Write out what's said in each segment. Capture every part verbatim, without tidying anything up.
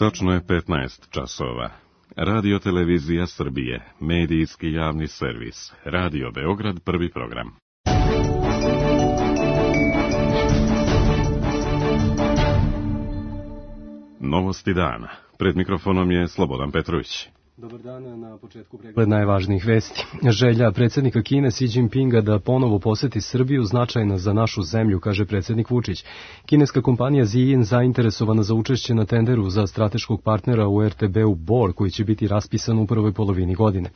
Tačno je petnaest časova. Radio Televizija Srbije, medijski javni servis, Radio Beograd, prvi program. Novosti dana. Pred mikrofonom je Slobodan Petrović. Dobar dan, na početku pregled najvažnijih vesti. Želja predsjednika Kine Xi Jinpinga da ponovo poseti Srbiju značajna za našu zemlju, kaže predsjednik Vučić. Kineska kompanija Ziyin zainteresovana za učešće na tenderu za strateškog partnera u er te be-u Bor, koji će biti raspisan u prvoj polovini godine.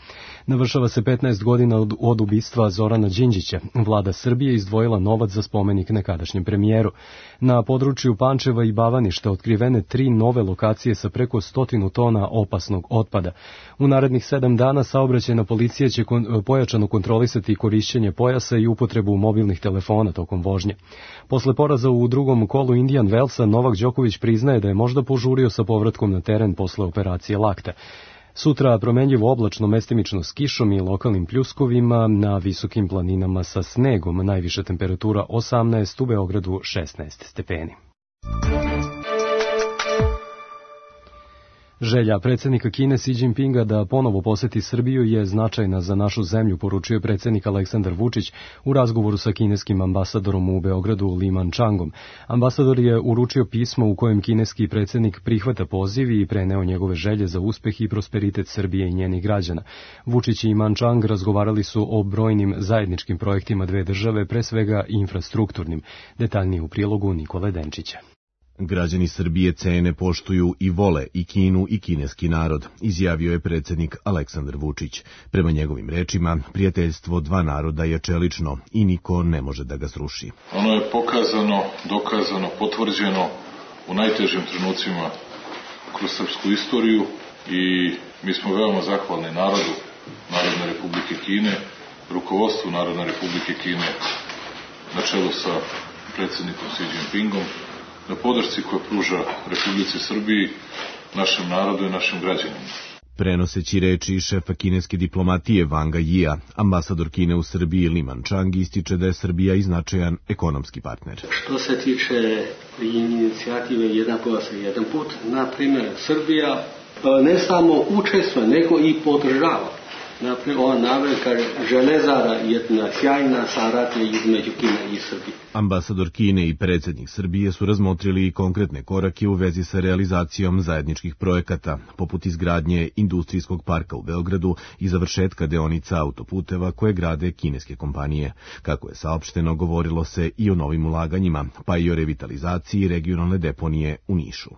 Navršava se petnaest godina od, od ubistva Zorana Đinđića. Vlada Srbije izdvojila novac za spomenik nekadašnjem premijeru. Na području Pančeva i Bavaništa otkrivene tri nove lokacije sa preko stotinu tona opasnog otpada. U narednih sedam dana saobraćajna policija će kon, pojačano kontrolisati korišćenje pojasa i upotrebu mobilnih telefona tokom vožnje. Posle poraza u drugom kolu Indian Wellsa, Novak Đoković priznaje da je možda požurio sa povratkom na teren posle operacije lakta. Sutra promenljivo oblačno, mestimično s kišom i lokalnim pljuskovima, na visokim planinama sa snegom, najviša temperatura osamnaest, u Beogradu šesnaest stepeni. Želja predsjednika Kine Xi Jinpinga da ponovo poseti Srbiju je značajna za našu zemlju, poručio predsjednik Aleksandar Vučić u razgovoru sa kineskim ambasadorom u Beogradu Li Manchangom. Ambasador je uručio pismo u kojem kineski predsjednik prihvata poziv i preneo njegove želje za uspeh i prosperitet Srbije i njenih građana. Vučić i Manchang razgovarali su o brojnim zajedničkim projektima dve države, pre svega infrastrukturnim. Detaljnije u prilogu Nikole Denčića. Građani Srbije cene, poštuju i vole i Kinu i kineski narod, izjavio je predsjednik Aleksandar Vučić. Prema njegovim rečima, prijateljstvo dva naroda je čelično i niko ne može da ga sruši. Ono je pokazano, dokazano, potvrđeno u najtežim trenucima kroz srpsku istoriju i mi smo veoma zahvalni narodu Narodne Republike Kine, rukovodstvu Narodne Republike Kine na čelu sa predsjednikom Xi Jinpingom, na podršci koja pruža Republici Srbiji, našem narodu i našim građanima. Prenoseći reči šefa kineske diplomatije Wanga Yia, ambasador Kine u Srbiji Li Manchang ističe da je Srbija i značajan ekonomski partner. Što se tiče inicijative Jedan pojas i jedan put, na primjer, Srbija ne samo učestvuje, nego i podržava. Naprijed, ova navrka železara je jedna sjajna saradnja između Kine i Srbije. Ambasador Kine i predsjednik Srbije su razmotrili i konkretne korake u vezi sa realizacijom zajedničkih projekata, poput izgradnje industrijskog parka u Beogradu i završetka deonica autoputeva koje grade kineske kompanije. Kako je saopšteno, govorilo se i o novim ulaganjima, pa i o revitalizaciji regionalne deponije u Nišu.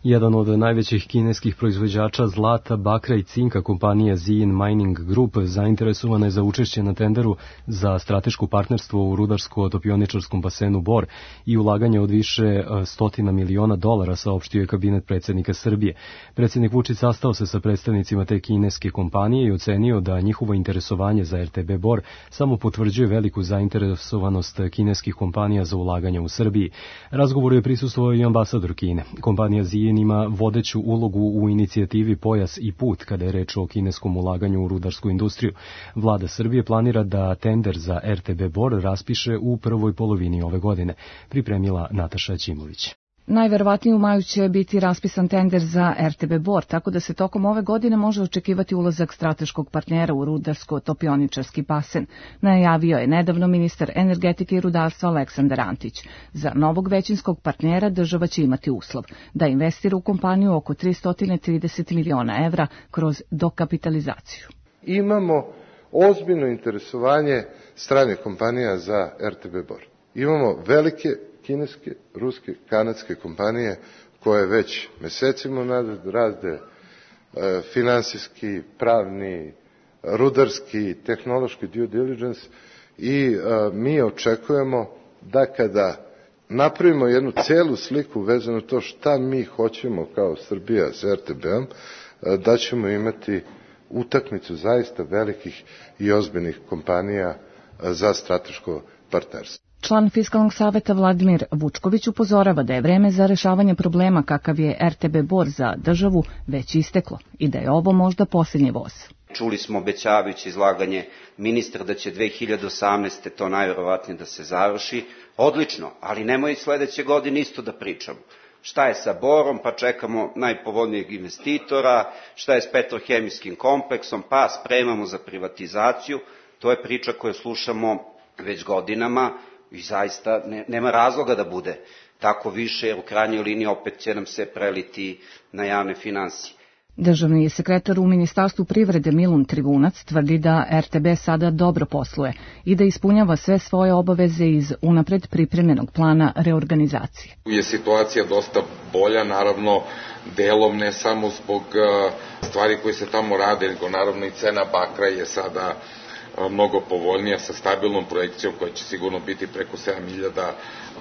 Jedan od najvećih kineskih proizvođača zlata, bakra i cinka, kompanija Ziyin Mining Group, zainteresovana je za učešće na tenderu za strateško partnerstvo u rudarsko-topioničarskom basenu Bor i ulaganje od više stotina miliona dolara, saopštio je kabinet predsjednika Srbije. Predsjednik Vučić sastao se sa predstavnicima te kineske kompanije i ocenio da njihovo interesovanje za er te be Bor samo potvrđuje veliku zainteresovanost kineskih kompanija za ulaganje u Srbiji. Razgovoru je prisustvovao i ambasador Kine. Kompanija Ziyin ima vodeću ulogu u inicijativi Pojas i put kada je reč o kineskom ulaganju u rudarsku industriju. Vlada Srbije planira da tender za er te be Bor raspiše u prvoj polovini ove godine, pripremila Nataša Ćimović. Najverovatnije u maju će biti raspisan tender za er te be Bor, tako da se tokom ove godine može očekivati ulazak strateškog partnera u rudarsko-topioničarski basen, najavio je nedavno ministar energetike i rudarstva Aleksandar Antić. Za novog većinskog partnera država će imati uslov da investira u kompaniju oko tristo trideset miliona evra kroz dokapitalizaciju. Imamo ozbiljno interesovanje stranih kompanija za er te be Bor. Imamo velike kineske, ruske, kanadske kompanije koje već mesecima nazad rade e, finansijski, pravni, rudarski, tehnološki due diligence i e, mi očekujemo da kada napravimo jednu celu sliku vezano to šta mi hoćemo kao Srbija s er te be-om, e, da ćemo imati utakmicu zaista velikih i ozbiljnih kompanija e, za strateško partnerstvo. Član Fiskalnog saveta Vladimir Vučković upozorava da je vreme za rešavanje problema kakav je er te be Bor za državu već isteklo i da je ovo možda posljednji voz. Čuli smo obećavajuće izlaganje ministra da će dve hiljade osamnaeste. to najverovatnije da se završi. Odlično, ali nemoj sledeće godine isto da pričamo. Šta je sa Borom, pa čekamo najpovoljnijeg investitora, šta je s petrohemijskim kompleksom, pa spremamo za privatizaciju. To je priča koju slušamo već godinama i zaista ne, nema razloga da bude tako više, jer u krajnjoj liniji opet će nam se preliti na javne finansije. Državni sekretar u Ministarstvu privrede Milun Trivunac tvrdi da er te be sada dobro posluje i da ispunjava sve svoje obaveze iz unapred pripremljenog plana reorganizacije. Je situacija dosta bolja, naravno delom ne samo zbog stvari koje se tamo rade, nego naravno i cena bakra je sada mnogo povoljnija sa stabilnom projekcijom koja će sigurno biti preko sedam hiljada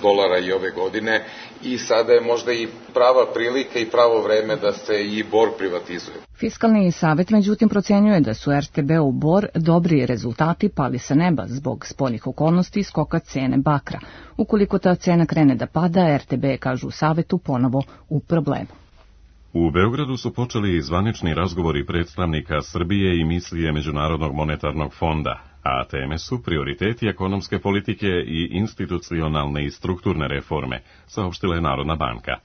dolara i ove godine i sada je možda i prava prilika i pravo vreme da se i Bor privatizuje. Fiskalni savet međutim procenjuje da su er te be u Bor dobri rezultati pali sa neba zbog spoljnih okolnosti i skoka cene bakra. Ukoliko ta cena krene da pada, er te be, kažu u savetu, ponovo u problemu. U Beogradu su počeli zvanični razgovori predstavnika Srbije i misije Međunarodnog monetarnog fonda, a teme su prioriteti ekonomske politike i institucionalne i strukturne reforme, saopštila je Narodna banka.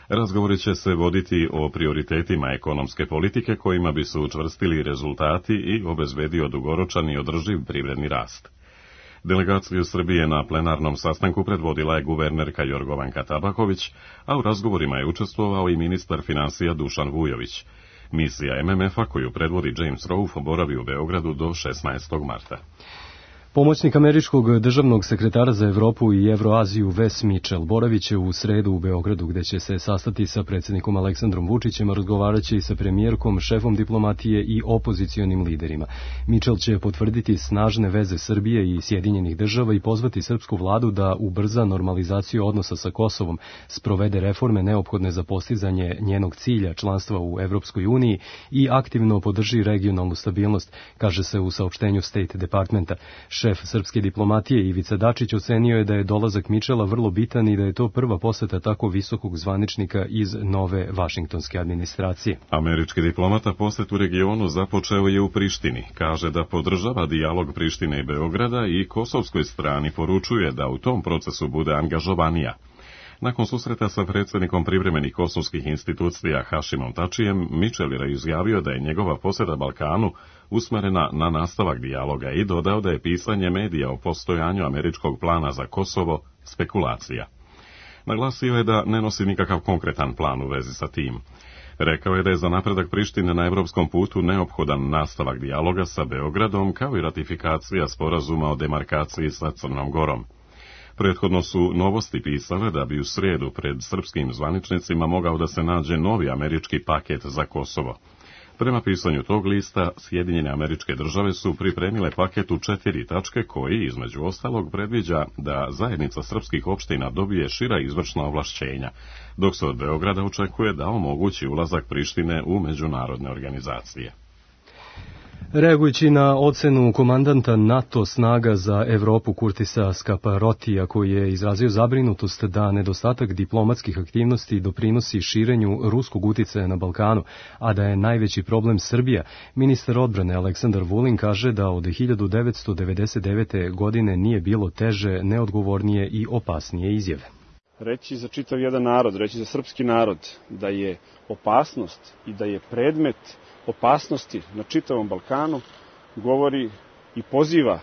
Razgovori će se voditi o prioritetima ekonomske politike kojima bi se učvrstili rezultati i obezbedio dugoročan i održiv privredni rast. Delegaciju Srbije na plenarnom sastanku predvodila je guvernerka Jorgovanka Tabaković, a u razgovorima je učestvovao i ministar finansija Dušan Vujović. Misija em em efa koju predvodi James Rolfe boravi u Beogradu do šesnaestog marta. Pomoćnik američkog državnog sekretara za Evropu i Evroaziju Wes Mitchell boravit će u sredu u Beogradu, gde će se sastati sa predsjednikom Aleksandrom Vučićem, a razgovarat će i sa premijerkom, šefom diplomatije i opozicionim liderima. Mitchell će potvrditi snažne veze Srbije i Sjedinjenih država i pozvati srpsku vladu da ubrza normalizaciju odnosa sa Kosovom, sprovede reforme neophodne za postizanje njenog cilja članstva u Evropskoj uniji i aktivno podrži regionalnu stabilnost, kaže se u saopštenju State Departmenta. Šef srpske diplomatije Ivica Dačić ocenio je da je dolazak Mitchella vrlo bitan i da je to prva poseta tako visokog zvaničnika iz nove vašingtonske administracije. Američki diplomata posjet u regionu započeo je u Prištini. Kaže da podržava dijalog Prištine i Beograda i kosovskoj strani poručuje da u tom procesu bude angažovanija. Nakon susreta sa predsjednikom privremenih kosovskih institucija Hašimom Tačijem, Mitchell je izjavio da je njegova posjeta Balkanu usmerena na nastavak dijaloga i dodao da je pisanje medija o postojanju američkog plana za Kosovo spekulacija. Naglasio je da ne nosi nikakav konkretan plan u vezi sa tim. Rekao je da je za napredak Prištine na evropskom putu neophodan nastavak dijaloga sa Beogradom kao i ratifikacija sporazuma o demarkaciji sa Crnom Gorom. Prethodno su Novosti pisale da bi u srijedu pred srpskim zvaničnicima mogao da se nađe novi američki paket za Kosovo. Prema pisanju tog lista, Sjedinjene Američke Države su pripremile paket u četiri tačke koji, između ostalog, predviđa da zajednica srpskih opština dobije šira izvršna ovlašćenja, dok se od Beograda očekuje da omogući ulazak Prištine u međunarodne organizacije. Reagujući na ocenu komandanta NATO snaga za Evropu Kurtisa Skaparotija, koji je izrazio zabrinutost da nedostatak diplomatskih aktivnosti doprinosi širenju ruskog uticaja na Balkanu, a da je najveći problem Srbija, ministar odbrane Aleksandar Vulin kaže da od hiljadu devetsto devedeset devete. godine nije bilo teže, neodgovornije i opasnije izjave. Reći za čitav jedan narod, reći za srpski narod da je opasnost i da je predmet opasnosti na čitavom Balkanu govori i poziva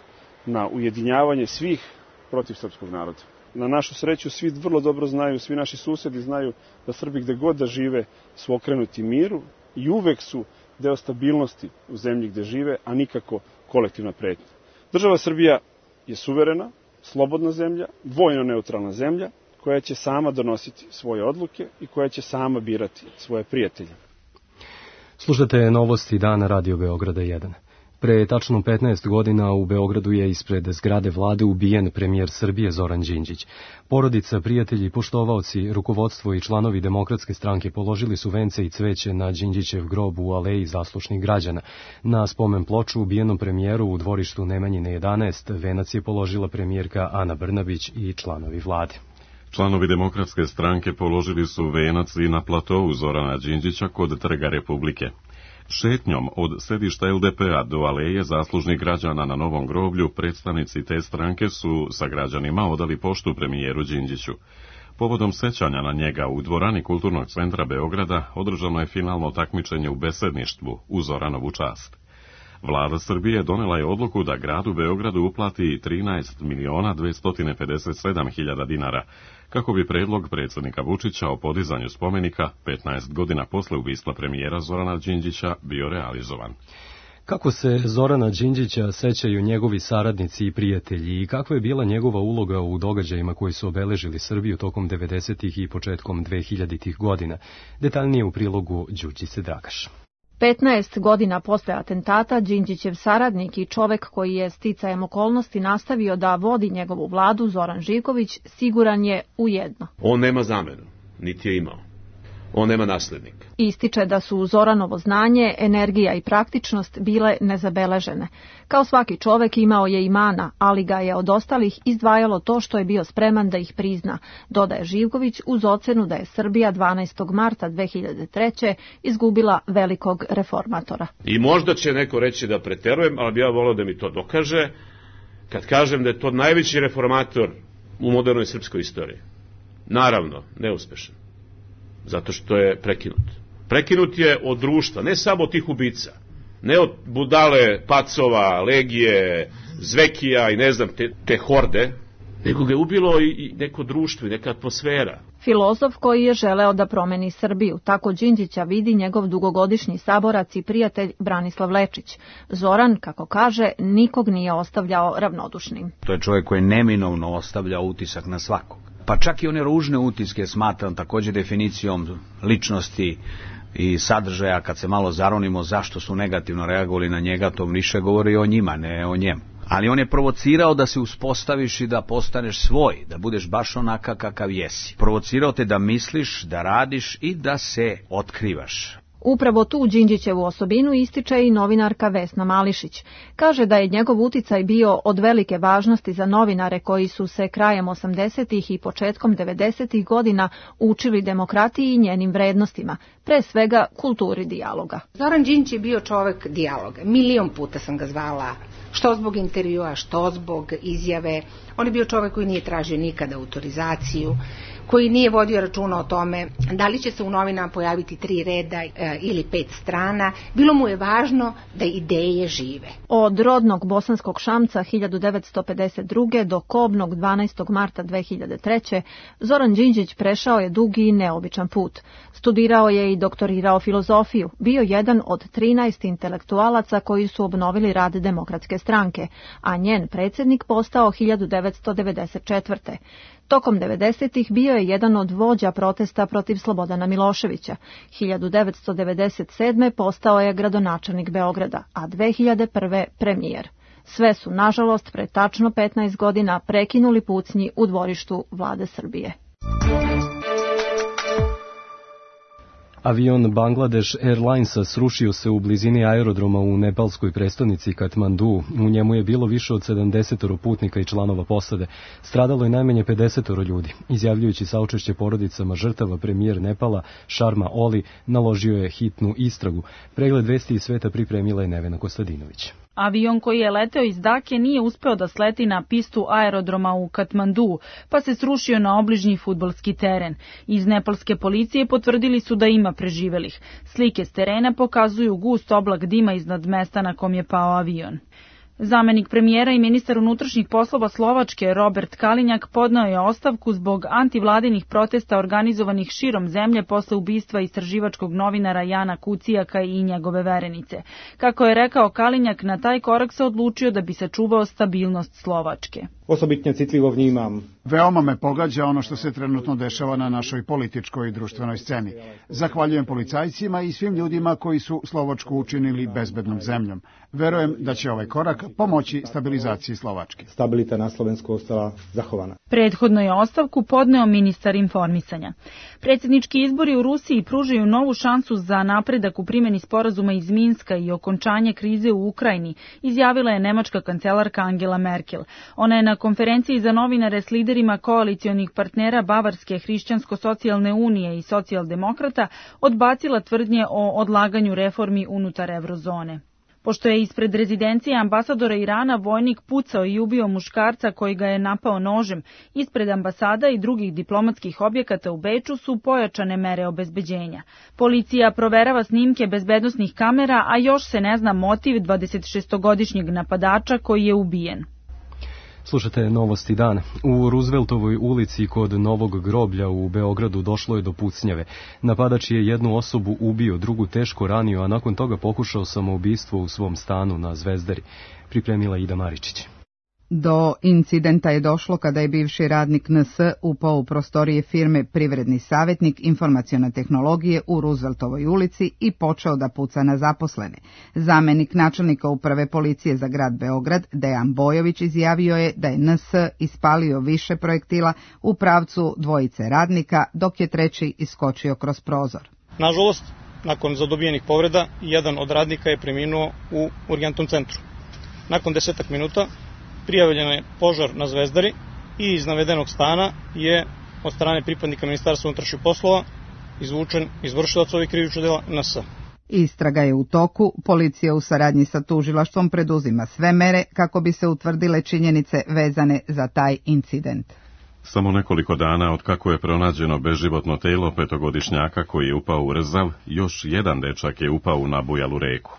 na ujedinjavanje svih protiv srpskog naroda. Na našu sreću svi vrlo dobro znaju, svi naši susedi znaju da Srbi gde god da žive su okrenuti miru i uvek su deo stabilnosti u zemlji gde žive, a nikako kolektivna pretnja. Država Srbija je suverena, slobodna zemlja, vojno neutralna zemlja koja će sama donositi svoje odluke i koja će sama birati svoje prijatelje. Slušate novosti dana Radio Beograda jedan. Pre tačno petnaest godina u Beogradu je ispred zgrade vlade ubijen premijer Srbije Zoran Đinđić. Porodica, prijatelji, poštovaoci, rukovodstvo i članovi Demokratske stranke položili su vence i cveće na Đinđićev grob u aleji zaslušnih građana. Na spomen ploču ubijenom premijeru u dvorištu Nemanjine jedanaest venac je položila premijerka Ana Brnabić i članovi vlade. Članovi Demokratske stranke položili su venac i na platovu Zorana Đinđića kod Trga Republike. Šetnjom od sedišta el de pe-a do aleje zaslužnih građana na Novom groblju predstavnici te stranke su sa građanima odali poštu premijeru Đinđiću. Povodom sećanja na njega u dvorani Kulturnog centra Beograda održano je finalno takmičenje u besedništvu u Zoranovu čast. Vlada Srbije donela je odluku da gradu Beogradu uplati trinaest miliona dvesta pedeset sedam hiljada dinara, kako bi predlog predsjednika Vučića o podizanju spomenika petnaest godina posle ubistva premijera Zorana Đinđića bio realizovan. Kako se Zorana Đinđića sećaju njegovi saradnici i prijatelji i kakva je bila njegova uloga u događajima koji su obeležili Srbiju tokom devedesetih i početkom dvehiljaditih godina, detaljnije u prilogu Đurđice Dragaš. petnaest godina posle atentata Đinđićev saradnik i čovek koji je sticajem okolnosti nastavio da vodi njegovu vladu, Zoran Živković, siguran je u jedno. On nema zamenu, niti je imao. On nema naslednika. Ističe da su Zoranovo znanje, energija i praktičnost bile nezabeležene. Kao svaki čovek imao je i mana, ali ga je od ostalih izdvajalo to što je bio spreman da ih prizna, dodaje Živković uz ocenu da je Srbija dvanaestog marta dve hiljade treće. izgubila velikog reformatora. I možda će neko reći da preterujem, ali bi ja volio da mi to dokaže, kad kažem da je to najveći reformator u modernoj srpskoj istoriji. Naravno, neuspešan. Zato što je prekinut. Prekinut je od društva, ne samo od tih ubica, ne od budale, pacova, legije, zvekija i ne znam, te, te horde, nego ga je ubilo i, i neko društvo i neka atmosfera. Filozof koji je želeo da promeni Srbiju, tako Đinđića vidi njegov dugogodišnji saborac i prijatelj Branislav Lečić. Zoran, kako kaže, nikog nije ostavljao ravnodušnim. To je čovjek koji neminovno ostavlja utisak na svakog. Pa čak i one ružne utiske smatram također definicijom ličnosti i sadržaja. Kad se malo zaronimo zašto su negativno reagovali na njega, to više govori o njima, ne o njemu. Ali on je provocirao da se uspostaviš i da postaneš svoj, da budeš baš onaka kakav jesi. Provocirao te da misliš, da radiš i da se otkrivaš. Upravo tu Đinđićevu osobinu ističe i novinarka Vesna Mališić. Kaže da je njegov uticaj bio od velike važnosti za novinare koji su se krajem osamdesetih i početkom devedesetih godina učili demokratiji i njenim vrednostima, pre svega kulturi dijaloga. Zoran Đinđić je bio čovek dijaloga. Milion puta sam ga zvala, što zbog intervjua, što zbog izjave. On je bio čovek koji nije tražio nikada autorizaciju, koji nije vodio računa o tome da li će se u novinama pojaviti tri reda e, ili pet strana. Bilo mu je važno da ideje žive. Od rodnog bosanskog Šamca hiljadu devetsto pedeset druge. do kobnog dvanaestog marta dve hiljade treće. Zoran Đinđić prešao je dugi i neobičan put. Studirao je i doktorirao filozofiju. Bio jedan od trinaest intelektualaca koji su obnovili rad Demokratske stranke, a njen predsjednik postao hiljadu devetsto devedeset četvrte. Tokom devedesetih bio je jedan od vođa protesta protiv Slobodana Miloševića. hiljadu devetsto devedeset sedme. postao je gradonačelnik Beograda, a dve hiljade prve. premijer. Sve su, nažalost, pre tačno petnaest godina prekinuli pucnji u dvorištu vlade Srbije. Avion Bangladesh Airlinesa srušio se u blizini aerodroma u nepalskoj prestonici Katmandu. U njemu je bilo više od sedamdeset putnika i članova posade. Stradalo je najmanje pedeset ljudi. Izjavljujući saučešće porodicama žrtava, premijer Nepala Sharma Oli naložio je hitnu istragu. Pregled vesti iz sveta pripremila je Nevena Kostadinović. Avion koji je leteo iz Dake nije uspeo da sleti na pistu aerodroma u Katmandu, pa se srušio na obližnji fudbalski teren. Iz nepalske policije potvrdili su da ima preživelih. Slike s terena pokazuju gust oblak dima iznad mesta na kom je pao avion. Zamenik premijera i ministar unutrašnjih poslova Slovačke Robert Kalinjak podneo je ostavku zbog antivladinih protesta organizovanih širom zemlje posle ubistva istraživačkog novinara Jana Kucijaka i njegove verenice. Kako je rekao Kalinjak, na taj korak se odlučio da bi sačuvao stabilnost Slovačke. Osobitno citlivo vnímam. Veoma me pogađa ono što se trenutno dešava na našoj političkoj i društvenoj sceni. Zahvaljujem policajcima i svim ljudima koji su Slovačku učinili bezbednom zemljom. Verujem da će ovaj korak pomoći stabilizaciji Slovačke. Stabilita na Slovensku ostala zahovana. Prethodno je ostavku podneo ministar informisanja. Predsjednički izbori u Rusiji pružaju novu šansu za napredak u primjeni sporazuma iz Minska i okončanje krize u Ukrajini, izjavila je nemačka kancelarka Angela Merkel. Ona je na konferenciji za novinare s liderima koalicionih partnera Bavarske hrišćansko-socijalne unije i socijaldemokrata odbacila tvrdnje o odlaganju reformi unutar eurozone. Pošto je ispred rezidencije ambasadora Irana vojnik pucao i ubio muškarca koji ga je napao nožem, ispred ambasada i drugih diplomatskih objekata u Beču su pojačane mere obezbeđenja. Policija proverava snimke bezbednosnih kamera, a još se ne zna motiv dvadesetšestogodišnjeg napadača koji je ubijen. Slušate novosti dana. U Rooseveltovoj ulici kod Novog groblja u Beogradu došlo je do pucnjave. Napadač je jednu osobu ubio, drugu teško ranio, a nakon toga pokušao samoubistvo u svom stanu na Zvezdari. Pripremila Ida Maričić. Do incidenta je došlo kada je bivši radnik N S upao u prostorije firme Privredni savjetnik informacione tehnologije u Rooseveltovoj ulici i počeo da puca na zaposlene. Zamenik načelnika uprave policije za grad Beograd, Dejan Bojović, izjavio je da je N S ispalio više projektila u pravcu dvojice radnika, dok je treći iskočio kroz prozor. Nažalost, nakon zadobijenih povreda, jedan od radnika je preminuo u urgentnom centru. Nakon desetak minuta prijavljen je požar na Zvezdari i iz navedenog stana je od strane pripadnika Ministarstva unutrašnjih poslova izvučen izvršilac ovih krivičnih dela N S. Istraga je u toku, policija u saradnji sa tužilaštvom preduzima sve mere kako bi se utvrdile činjenice vezane za taj incident. Samo nekoliko dana od kako je pronađeno beživotno telo petogodišnjaka koji je upao u Rzav, još jedan dečak je upao u nabujalu reku.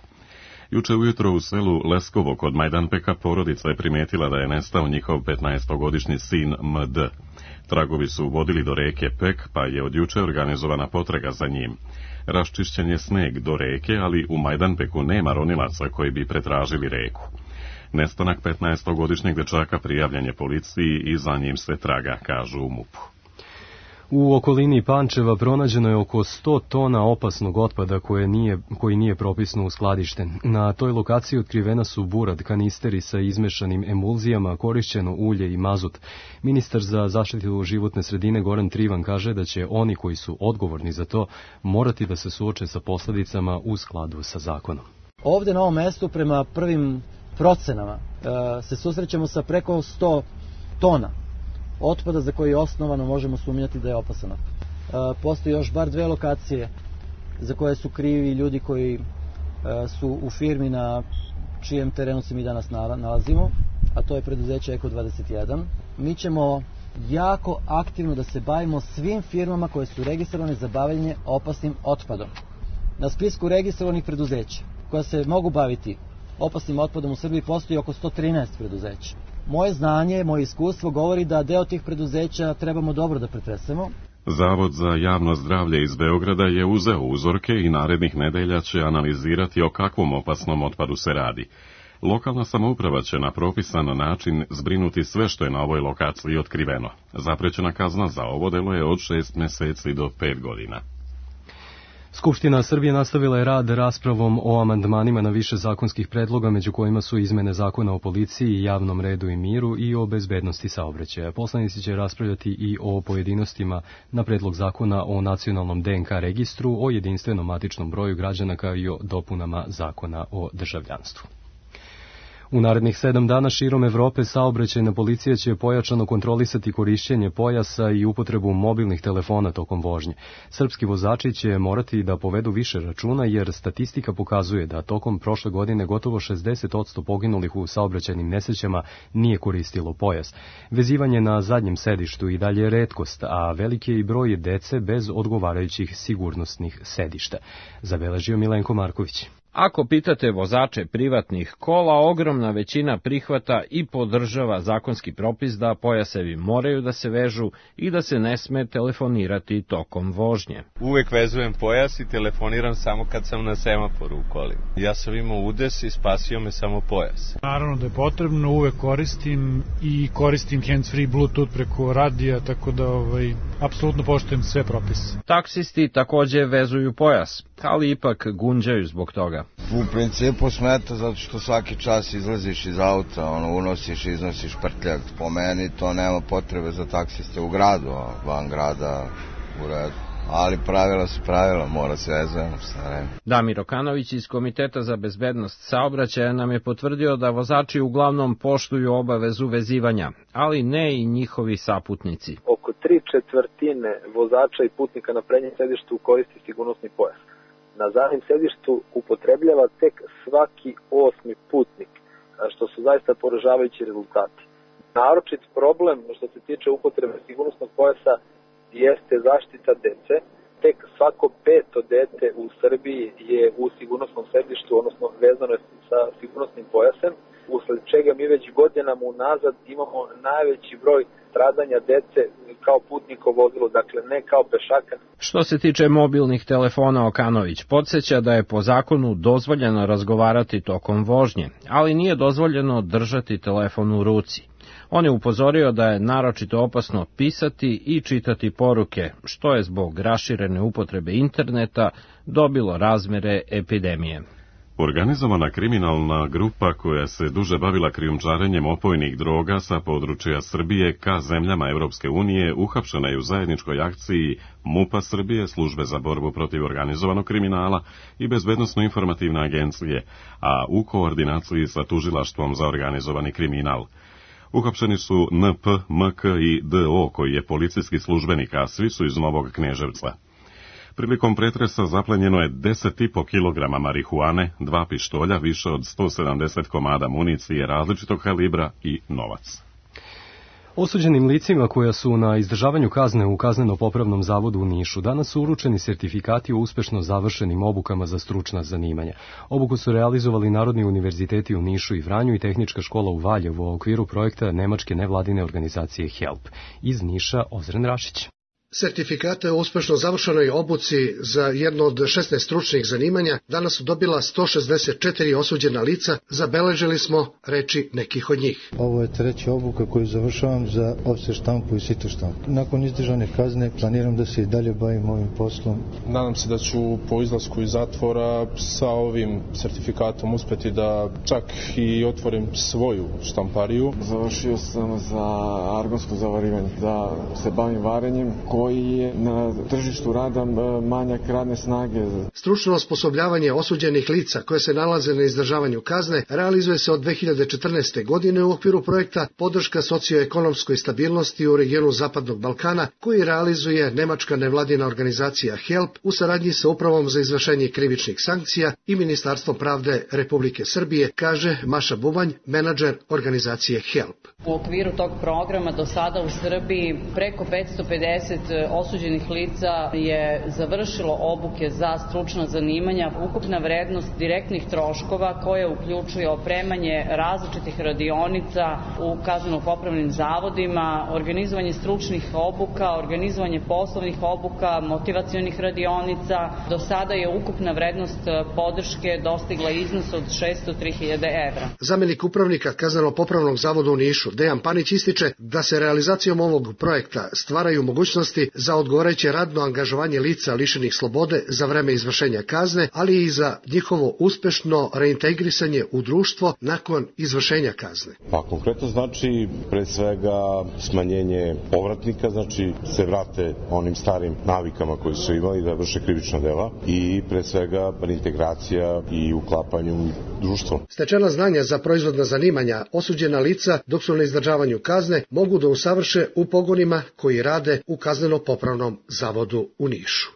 Juče ujutro u selu Leskovo kod Majdanpeka porodica je primijetila da je nestao njihov petnaestogodišnji sin M D. Tragovi su vodili do reke Pek, pa je od juče organizovana potraga za njim. Raščišćen je sneg do reke, ali u Majdanpeku nema ronilaca koji bi pretražili reku. Nestanak petnaestogodišnjeg dečaka prijavljen je policiji i za njim se traga, kažu u M U P-u. U okolini Pančeva pronađeno je oko sto tona opasnog otpada koje nije, koji nije propisno uskladišten. Na toj lokaciji otkrivena su burad, kanisteri sa izmešanim emulzijama, korišćeno ulje i mazut. Ministar za zaštitu životne sredine Goran Trivan kaže da će oni koji su odgovorni za to morati da se suoče sa posledicama u skladu sa zakonom. Ovde na ovom mestu prema prvim procenama se susrećemo sa preko sto tona otpada za koji osnovano možemo sumnjati da je opasan otpad. Postoji još bar dve lokacije za koje su krivi ljudi koji su u firmi na čijem terenu se mi danas nalazimo, a to je preduzeće Eko dvadeset jedan. Mi ćemo jako aktivno da se bavimo svim firmama koje su registrovane za bavljanje opasnim otpadom. Na spisku registrovanih preduzeća koja se mogu baviti opasnim otpadom u Srbiji postoji oko sto trinaest preduzeća. Moje znanje, moje iskustvo govori da deo tih preduzeća trebamo dobro da pretresemo. Zavod za javno zdravlje iz Beograda je uzeo uzorke i narednih nedelja će analizirati o kakvom opasnom otpadu se radi. Lokalna samouprava će na propisan način zbrinuti sve što je na ovoj lokaciji otkriveno. Zaprećena kazna za ovo delo je od šest meseci do pet godina. Skupština Srbije nastavila je rad raspravom o amandmanima na više zakonskih predloga, među kojima su izmene zakona o policiji, javnom redu i miru i o bezbednosti saobraćaja. Poslanici će raspravljati i o pojedinostima na predlog zakona o nacionalnom D N K registru, o jedinstvenom matičnom broju građana kao i o dopunama zakona o državljanstvu. U narednih sedam dana širom Evrope saobraćajna policija će pojačano kontrolisati korišćenje pojasa i upotrebu mobilnih telefona tokom vožnje. Srpski vozači će morati da povedu više računa jer statistika pokazuje da tokom prošle godine gotovo šezdeset posto poginulih u saobraćajnim nesrećama nije koristilo pojas. Vezivanje na zadnjem sedištu i dalje je retkost, a veliki je i broj dece bez odgovarajućih sigurnosnih sedišta. Zabeležio Milenko Marković. Ako pitate vozače privatnih kola, ogromna većina prihvata i podržava zakonski propis da pojasevi moraju da se vežu i da se ne sme telefonirati tokom vožnje. Uvek vezujem pojas i telefoniram samo kad sam na semaforu u kolima. Ja sam imao udes i spasio me samo pojas. Naravno da je potrebno, uvek koristim i koristim hands-free Bluetooth preko radija, tako da ovaj, apsolutno poštujem sve propise. Taksisti takođe vezuju pojas, ali ipak gunđaju zbog toga. U principu smeta zato što svaki čas izlaziš iz auta, ono, unosiš i iznosiš prtljak. Po meni to nema potrebe za taksiste u gradu, a van grada u redu. Ali pravila su pravila, mora se vezujemo sa vreme. Damir Okanović iz Komiteta za bezbednost saobraćaja nam je potvrdio da vozači uglavnom poštuju obavezu vezivanja, ali ne i njihovi saputnici. Oko tri četvrtine vozača i putnika na prednjem sedištu koristi sigurnosni pojas. na zadnjem sedištu upotrebljava tek svaki osmi putnik, što su zaista poražavajući rezultati. Naročit problem što se tiče upotrebe sigurnosnog pojasa jeste zaštita dece. Tek svako peto dete u Srbiji je u sigurnosnom sedištu, odnosno vezano je sa sigurnosnim pojasem, usled čega mi već godinama unazad imamo najveći broj stradanja dece kao putniko vozilo, dakle ne kao pešaka. Što se tiče mobilnih telefona, Okanović podsjeća da je po zakonu dozvoljeno razgovarati tokom vožnje, ali nije dozvoljeno držati telefon u ruci. On je upozorio da je naročito opasno pisati i čitati poruke, što je zbog raširene upotrebe interneta dobilo razmere epidemije. Organizovana kriminalna grupa koja se duže bavila krijumčarenjem opojnih droga sa područja Srbije ka zemljama Evropske unije uhapšena je u zajedničkoj akciji MUP-a Srbije, Službe za borbu protiv organizovanog kriminala i Bezbednosno-informativne agencije, a u koordinaciji sa Tužilaštvom za organizovani kriminal. Uhapšeni su N P, M K i D O, koji je policijski službenik, a svi su iz Novog Kneževca. Prilikom pretresa zaplenjeno je deset i po kilograma marihuane, dva pištolja, više od sto sedamdeset komada municije različitog kalibra i novac. Osuđenim licima koja su na izdržavanju kazne u Kazneno-popravnom zavodu u Nišu danas su uručeni sertifikati o uspešno završenim obukama za stručna zanimanja. Obuku su realizovali Narodni univerziteti u Nišu i Vranju i Tehnička škola u Valjevu u okviru projekta nemačke nevladine organizacije HELP. Iz Niša Ozren Rašić. Sertifikate o uspešno završenoj obuci za jedno od šesnaest stručnih zanimanja danas su dobila sto šezdeset četiri osuđena lica, zabeležili smo reči nekih od njih. Ovo je treća obuka koju završavam za ofser štampu i sito štampu. Nakon izdržane kazne planiram da se i dalje bavim ovim poslom. Nadam se da ću po izlasku iz zatvora sa ovim sertifikatom uspeti da čak i otvorim svoju štampariju. Završio sam za argonsko zavarivanje, da se bavim varenjem koji je na tržištu rada manjak radne snage. Stručno osposobljavanje osuđenih lica koje se nalaze na izdržavanju kazne realizuje se od dve hiljade četrnaeste. godine u okviru projekta Podrška socioekonomskoj stabilnosti u regionu Zapadnog Balkana, koji realizuje nemačka nevladina organizacija HELP u saradnji sa Upravom za izvršenje krivičnih sankcija i Ministarstvom pravde Republike Srbije, kaže Maša Bubanj, menadžer organizacije HELP. U okviru tog programa do sada u Srbiji preko petsto pedeset osuđenih lica je završilo obuke za stručna zanimanja. Ukupna vrednost direktnih troškova koje uključuje opremanje različitih radionica u kazneno-popravnim zavodima, organizovanje stručnih obuka, organizovanje poslovnih obuka, motivacionih radionica. Do sada je ukupna vrednost podrške dostigla iznos od šesto tri hiljade evra. Zamenik upravnika Kazneno-popravnog zavoda u Nišu, Dejan Panić, ističe da se realizacijom ovog projekta stvaraju mogućnosti za odgovarajuće radno angažovanje lica lišenih slobode za vreme izvršenja kazne, ali i za njihovo uspešno reintegrisanje u društvo nakon izvršenja kazne. Pa konkretno znači pre svega smanjenje povratnika, znači se vrate onim starim navikama koje su imali da vrše krivična dela i pre svega reintegracija i uklapanje u društvo. Stečena znanja za proizvodna zanimanja osuđena lica dok su na izdržavanju kazne mogu da usavrše u pogonima koji rade u Kazneno-popravnom zavodu u Nišu.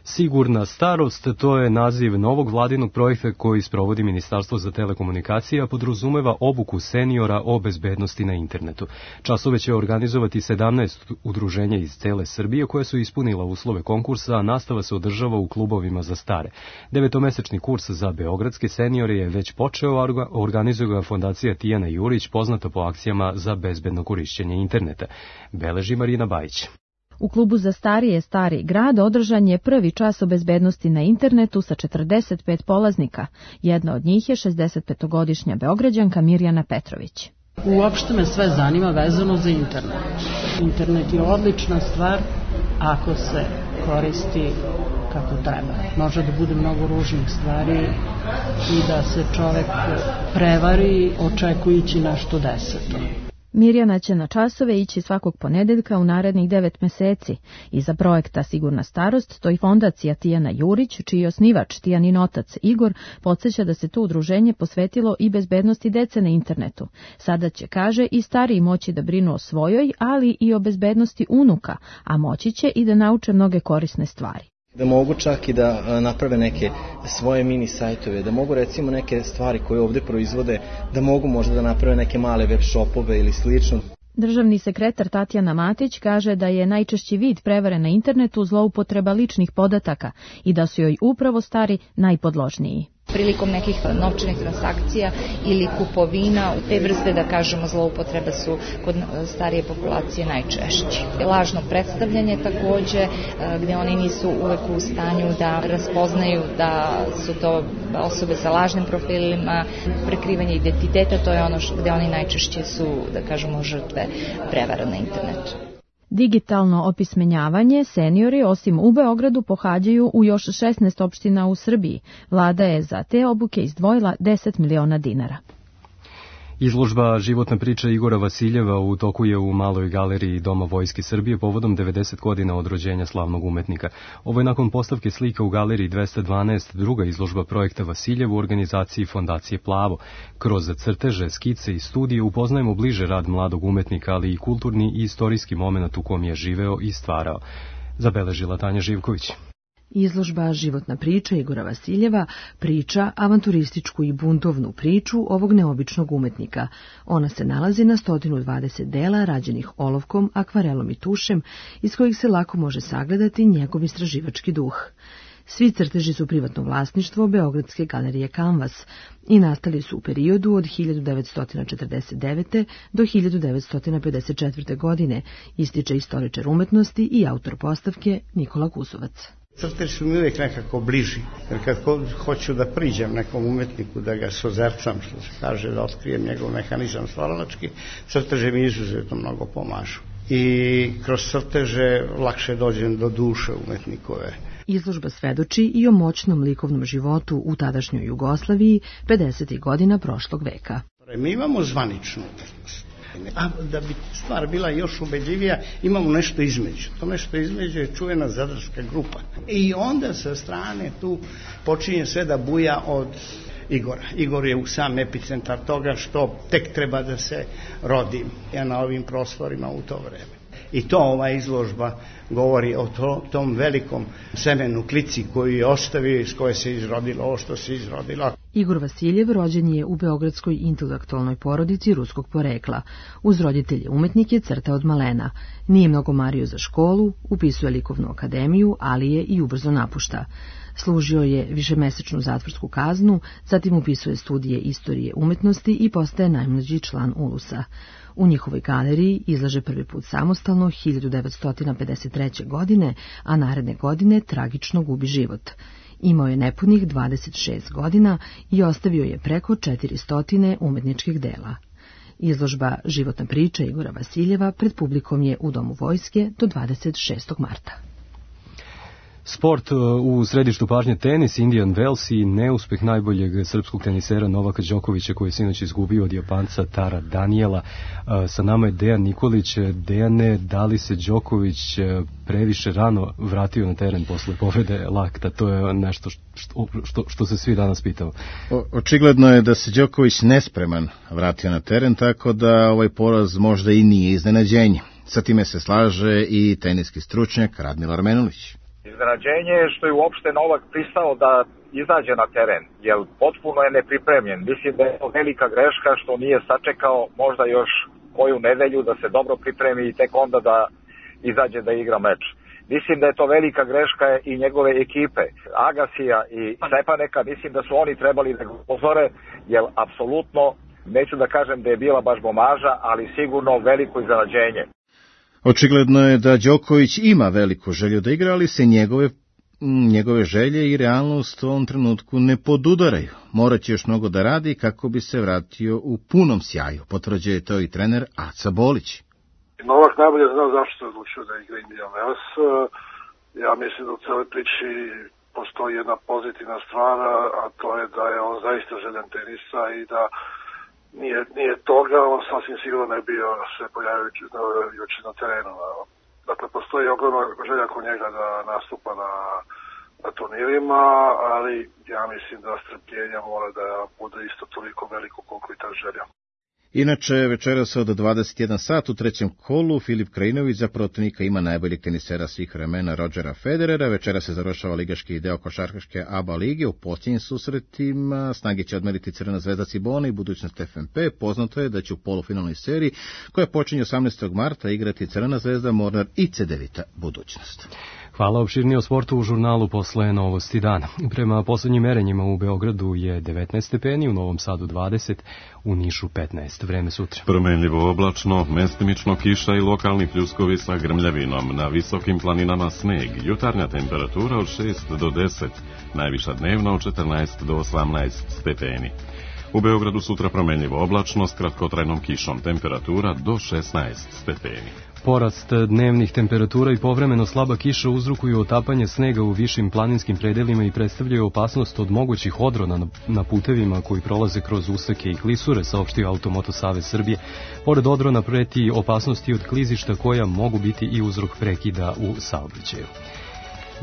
Sigurna starost, to je naziv novog vladinog projekta koji sprovodi Ministarstvo za telekomunikacije, a podrazumeva obuku seniora o bezbednosti na internetu. Časove će organizovati sedamnaest udruženja iz cele Srbije koje su ispunila uslove konkursa, a nastava se održava u klubovima za stare. Devetomesečni kurs za beogradske seniore je već počeo, organizuje ga fondacija Tijana Jurić, poznata po akcijama za bezbedno korišćenje interneta. Beleži Marina Bajić. U klubu za starije Stari grad održan je prvi čas o bezbednosti na internetu sa četrdeset pet polaznika. Jedna od njih je šezdesetpetogodišnja Beograđanka Mirjana Petrović. Uopšte me sve zanima vezano za internet. Internet je odlična stvar ako se koristi kako treba. Može da bude mnogo ružnih stvari i da se čovek prevari očekujući nešto deseto. Mirjana će na časove ići svakog ponedeljka u narednih devet meseci. Iza projekta Sigurna starost stoji fondacija Tijana Jurić, čiji osnivač Tijanin otac Igor podsjeća da se to udruženje posvetilo i bezbednosti dece na internetu. Sada će, kaže, i stariji moći da brinu o svojoj, ali i o bezbednosti unuka, a moći će i da nauče mnoge korisne stvari. Da mogu čak i da naprave neke svoje mini sajtove, da mogu recimo neke stvari koje ovde proizvode, da mogu možda da naprave neke male web shopove ili slično. Državni sekretar Tatjana Matić kaže da je najčešći vid prevare na internetu zloupotreba ličnih podataka i da su joj upravo stari najpodložniji. Prilikom nekih novčanih transakcija ili kupovina, te vrste, da kažemo, zloupotreba su kod starije populacije najčešći. Lažno predstavljanje takođe, gde oni nisu uvek u stanju da raspoznaju da su to osobe sa lažnim profilima, prekrivanje identiteta, to je ono gde oni najčešće su, da kažemo, žrtve prevara na internetu. Digitalno opismenjavanje seniori osim u Beogradu pohađaju u još šesnaest opština u Srbiji. Vlada je za te obuke izdvojila deset miliona dinara. Izložba Životna priča Igora Vasiljeva u toku je u Maloj galeriji Doma Vojske Srbije povodom devedeset godina od rođenja slavnog umetnika. Ovo je nakon postavke slika u galeriji dvesta dvanaest druga izložba projekta Vasiljev u organizaciji Fondacije Plavo. Kroz crteže, skice i studije upoznajemo bliže rad mladog umetnika, ali i kulturni i istorijski moment u kom je živeo i stvarao. Zabeležila Tanja Živković. Izložba Životna priča Igora Vasiljeva priča avanturističku i buntovnu priču ovog neobičnog umetnika. Ona se nalazi na sto dvadeset dela rađenih olovkom, akvarelom i tušem, iz kojih se lako može sagledati njegov istraživački duh. Svi crteži su privatno vlasništvo Beogradske galerije Kanvas i nastali su u periodu od hiljadu devetsto četrdeset devete. do hiljadu devetsto pedeset četvrte. godine, ističe istoričar umetnosti i autor postavke Nikola Kusovac. Crteži su mi uvijek nekako bliži, jer kad hoću da priđem nekom umetniku, da ga sozercam, što se kaže, da otkrijem njegov mehanizam stvaralački, crteže mi izuzetno mnogo pomažu. I kroz crteže lakše dođem do duše umetnikove. Izložba svedoči i o moćnom likovnom životu u tadašnjoj Jugoslaviji pedesetih godina prošlog veka. Mi imamo zvaničnu umetnost. A da bi stvar bila još ubedljivija, imamo nešto između. To nešto između je čuvena zadarska grupa. I onda sa strane tu počinje sve da buja od Igora. Igor je u sam epicentar toga što tek treba da se rodi ja na ovim prostorima u to vreme. I to ova izložba govori o to, tom velikom semenu klici koju je ostavio, iz koje se izrodilo ovo što se izrodilo. Igor Vasiljev rođen je u beogradskoj intelektualnoj porodici ruskog porekla. Uz roditelje umetnik je crtao od malena. Nije mnogo mario za školu, upisuje likovnu akademiju, ali je i ubrzo napušta. Služio je višemesečnu zatvorsku kaznu, zatim upisuje studije istorije umetnosti i postaje najmlađi član Ulusa. U njihovoj galeriji izlaže prvi put samostalno hiljadu devetsto pedeset treće. godine, a naredne godine tragično gubi život. Imao je nepunih dvadeset šest godina i ostavio je preko četiristo umetničkih dela. Izložba Životna priča Igora Vasiljeva pred publikom je u Domu Vojske do dvadeset šestog marta. Sport u središtu pažnje tenis, Indian Wells i neuspeh najboljeg srpskog tenisera Novaka Đokovića koji je sinoć izgubio od Japanca Tara Daniela. Sa nama je Dejan Nikolić. Dejane, da li se Đoković previše rano vratio na teren posle povrede lakta? To je nešto što, što, što se svi danas pitao. O, očigledno je da se Đoković nespreman vratio na teren, tako da ovaj poraz možda i nije iznenađenje. Sa time se slaže i teniski stručnjak Radmila Menulić. Iznenađenje je što je uopšte Novak pristao da izađe na teren, jer potpuno je nepripremljen. Mislim da je to velika greška što nije sačekao možda još koju nedelju da se dobro pripremi i tek onda da izađe da igra meč. Mislim da je to velika greška i njegove ekipe, Agasija i Stepaneka, mislim da su oni trebali da ga upozore, jer apsolutno, neću da kažem da je bila baš bomaža, ali sigurno veliko iznenađenje. Očigledno je da Đoković ima veliku želju da igra, ali se njegove, njegove želje i realnost u ovom trenutku ne podudaraju. Morat će još mnogo da radi kako bi se vratio u punom sjaju, potvrđuje to i trener Aca Bolić. Novak najbolje zna zašto se odlučio da igra Indian Wells. Ja mislim da u celoj priči postoji jedna pozitivna stvar, a to je da je on zaista željan tenisa i da Nije, nije toga, on sasvim sigurno ne bio se pojavio juče na terenu. Dakle, postoji ogromna želja kod njega da nastupa na, na turnirima, ali ja mislim da strpljenja mora da bude isto toliko veliko koliko i ta želja. Inače, večeras od dvadeset jedan sat u trećem kolu Filip Krajinović za protivnika ima najboljeg tenisera svih vremena Rodgera Federera. Večera se završava ligaški deo košarkaške A B A lige. U posljednjim susretima snage će odmeriti Crvena zvezda Cibona i budućnost F M P. Poznato je da će u polufinalnoj seriji, koja počinje osamnaestog marta, igrati Crvena zvezda, Mornar i Cedevita budućnost. Hvala. Opširnije o sportu u žurnalu posle Novosti dana. Prema poslednjim merenjima u Beogradu je devetnaest stepeni, u Novom Sadu dvadeset, u Nišu petnaest. Vreme sutra. Promenljivo oblačno, mestimično kiša i lokalni pljuskovi sa grmljavinom. Na visokim planinama sneg. Jutarnja temperatura od šest do deset, najviša dnevna od četrnaest do osamnaest stepeni. U Beogradu sutra promenljivo oblačno s kratkotrajnom kišom, temperatura do šesnaest stepeni. Porast dnevnih temperatura i povremeno slaba kiša uzrokuju otapanje snega u višim planinskim predelima i predstavljaju opasnost od mogućih odrona na putevima koji prolaze kroz usake i klisure, saopštio Automoto Savez Srbije. Pored odrona preti opasnosti od klizišta koja mogu biti i uzrok prekida u saobraćaju.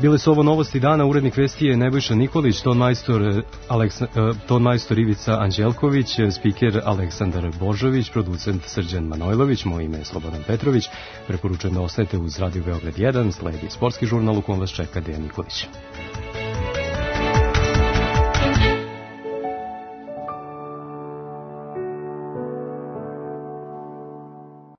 Bile su ovo novosti dana, urednik vesti je Nebojša Nikolić, ton majstor, Aleksa, ton majstor Ivica Anđelković, spiker Aleksandar Božović, producent Srđan Manojlović, moje ime je Slobodan Petrović. Preporučujem da ostajete uz Radio Beograd jedan, sledi sportski žurnal u kom vas čeka Dejan Nikolić.